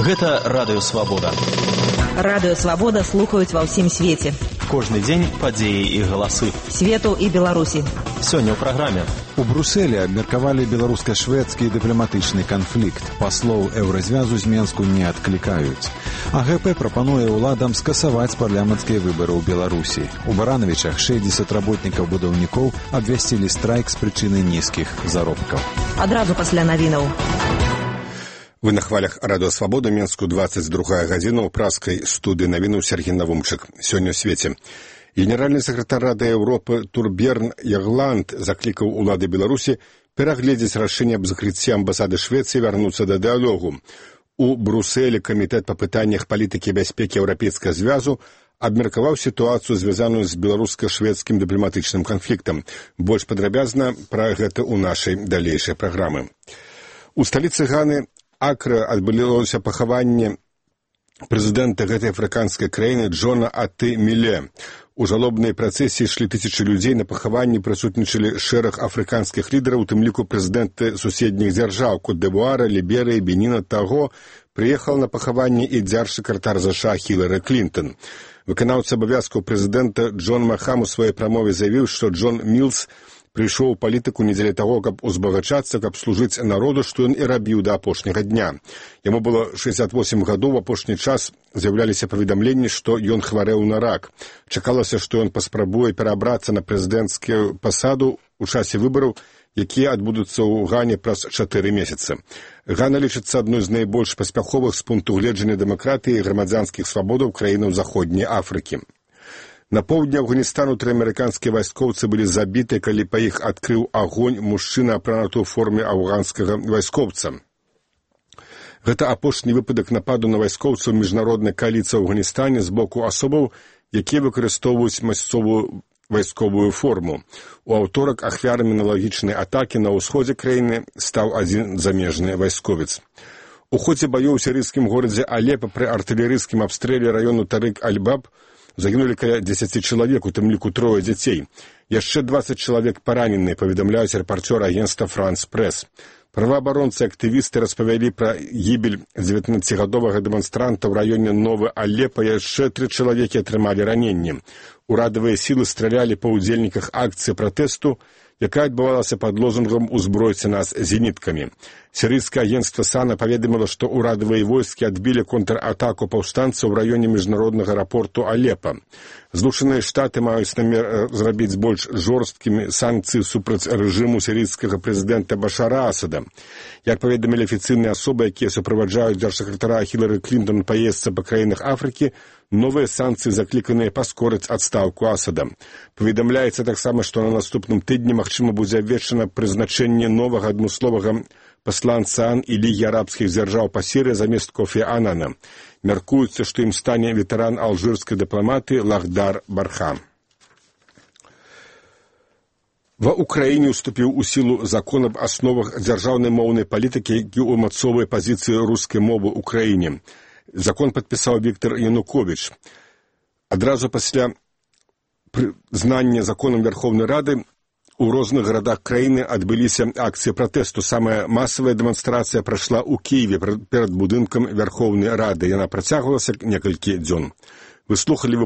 Гэта Радыё Свабода. Радыё Свабода слухаюць ва ўсім свеце. Кожны дзень падзеі і галасы. Свету і Беларусі. Сёння ў праграме. У Брусэлі абмеркавалі беларуска-шведскі дыпламатычны канфлікт. Паслоў Еўразвязу з Менску не адклікаюць. АГП прапануе ўладам скасаваць парламенцкія выбары ў Беларусі. У Баранавічах 60 работнікаў-будаўнікоў абвясцілі страйк з прычыны нізкіх заробкаў. Адразу пасля навінаў. Вы на хвалях Радыё Свабода, Менску 22 гадзіна ў праскай студыі навінаў Сергей Навумчык. Сёння ў свеце. Генеральны сакратар Рады Еўропы Турберн Ягланд заклікаў улады Беларусі перагледзець рашэнне аб закрыцці амбасады Швецыі вярнуцца да дыялогу. У Брусэлі камітэт па пытаннях палітыкі і бяспекі Еўрапейскага звязу абмеркаваў сітуацыю, звязаную з беларуска-шведскім дыпламатычным канфліктам. Больш падрабязна пра гэта ў нашай далейшай праграмы. У сталіцы Ганы Акра адбылося пахаванне прэзідэнта гэтай афрыканскай краіны Джона Аты Міле. У жалобнай працэсіі ішлі тысячы людзей, на пахаванні прысутнічалі шэраг афрыканскіх лідараў, у тым ліку прэзідэнты суседніх дзяржаў Кот-д'Івуара, Ліберыі, Беніна. Таго прыехаў на пахаванне і дзярж-сакратар ЗША Хілары Клінтон. Выканаўца абавязкаў прэзідэнта Джон Махам у сваёй прамове заявіў, што Джон Мілс прыйшоў у палітыку не дзеля таго, каб узбагачацца, каб служыць народу, што ён і рабіў да апошняга дня. Яму было 68 гадоў, у апошні час з'яўляліся паведамленні, што ён хварэў на рак. Чакалася, што ён паспрабуе перабрацца на прэзідэнцкую пасаду ў часе выбараў, якія адбудуцца ў Гане праз 4 месяцы. Гана лічыцца адной з найбольш паспяховых з пункту гледжання дэмакратыі і грамадзянскіх свабодаў краінаў Заходняй Афрыкі. На поўдні Афганістану 3 амерыканскія вайскоўцы былі забіты, калі па іх адкрыў агонь мужчына, апрануты ў форме афганскага вайскоўца. Гэта апошні выпадак нападу на вайскоўцаў міжнароднай кааліцыі ў Афганістане з боку асобаў, якія выкарыстоўваюць мясцовую вайсковую форму. У аўторак ахвярамі аналагічнай атакі на ўсходзе краіны стаў адзін замежны вайсковец. У ходзе баёў у сірыйскім горадзе Алепа пры артылерыйскім абстрэле раёну Тарык-аль-Баб загінулі каля 10 чалавек, у тым ліку 3 дзяцей. Яшчэ 20 чалавек параненыя, паведамляюць рэпарцёры агенцтва «Франс Прэс». Праваабаронцы і актывісты распавялі пра гібель 19-гадовага дэманстранта ў раёне Новы Алепа. Яшчэ 3 чалавекі атрымалі раненні. Урадавыя сілы стралялі па ўдзельніках акцыі пратэсту, якая адбывалася пад лозунгам «Узбройце нас зеніткамі». Сірыйскае агенцтва САНА паведаміла, што ўрадавыя войскі адбілі контратаку паўстанцаў у раёне міжнароднага аэрапорту Алепа. Злучаныя Штаты маюць намер зрабіць больш жорсткімі санкцыі супраць рэжыму сірыйскага прэзідэнта Башара Асада. Як паведамілі афіцыйныя асобы, якія суправаджаюць дзяржсакратара Хілары Клінтон па поездцы па краінах Афрыкі, новыя санкцыі закліканыя паскорыць адстаўку Асада. Паведамляецца таксама, што на наступным тыдні магчыма будзе абвешчана прызначэнне новага адмысловага пасланца АН і Лігі арабскіх дзяржаў па Сірыі замест Кофі Анана. Мяркуецца, што ім стане ветэран алжырскай дыпламатыі Лахдар Бархам. Ва ўкраіне уступіў у сілу закон аб асновах дзяржаўнай моўнай палітыкі, які ўмацоўвае пазіцыі рускай мовы ў краіне. Закон падпісаў Віктор Януковіч. Адразу пасля прызнання законам Верховнай Рады у розных гарадах краіны адбыліся акцыі пратэсту. Самая масавая дэманстрацыя прайшла ў Кіеве перад будынкам Верховнай Рады. Яна працягвалася некалькі дзён. Вы слухалі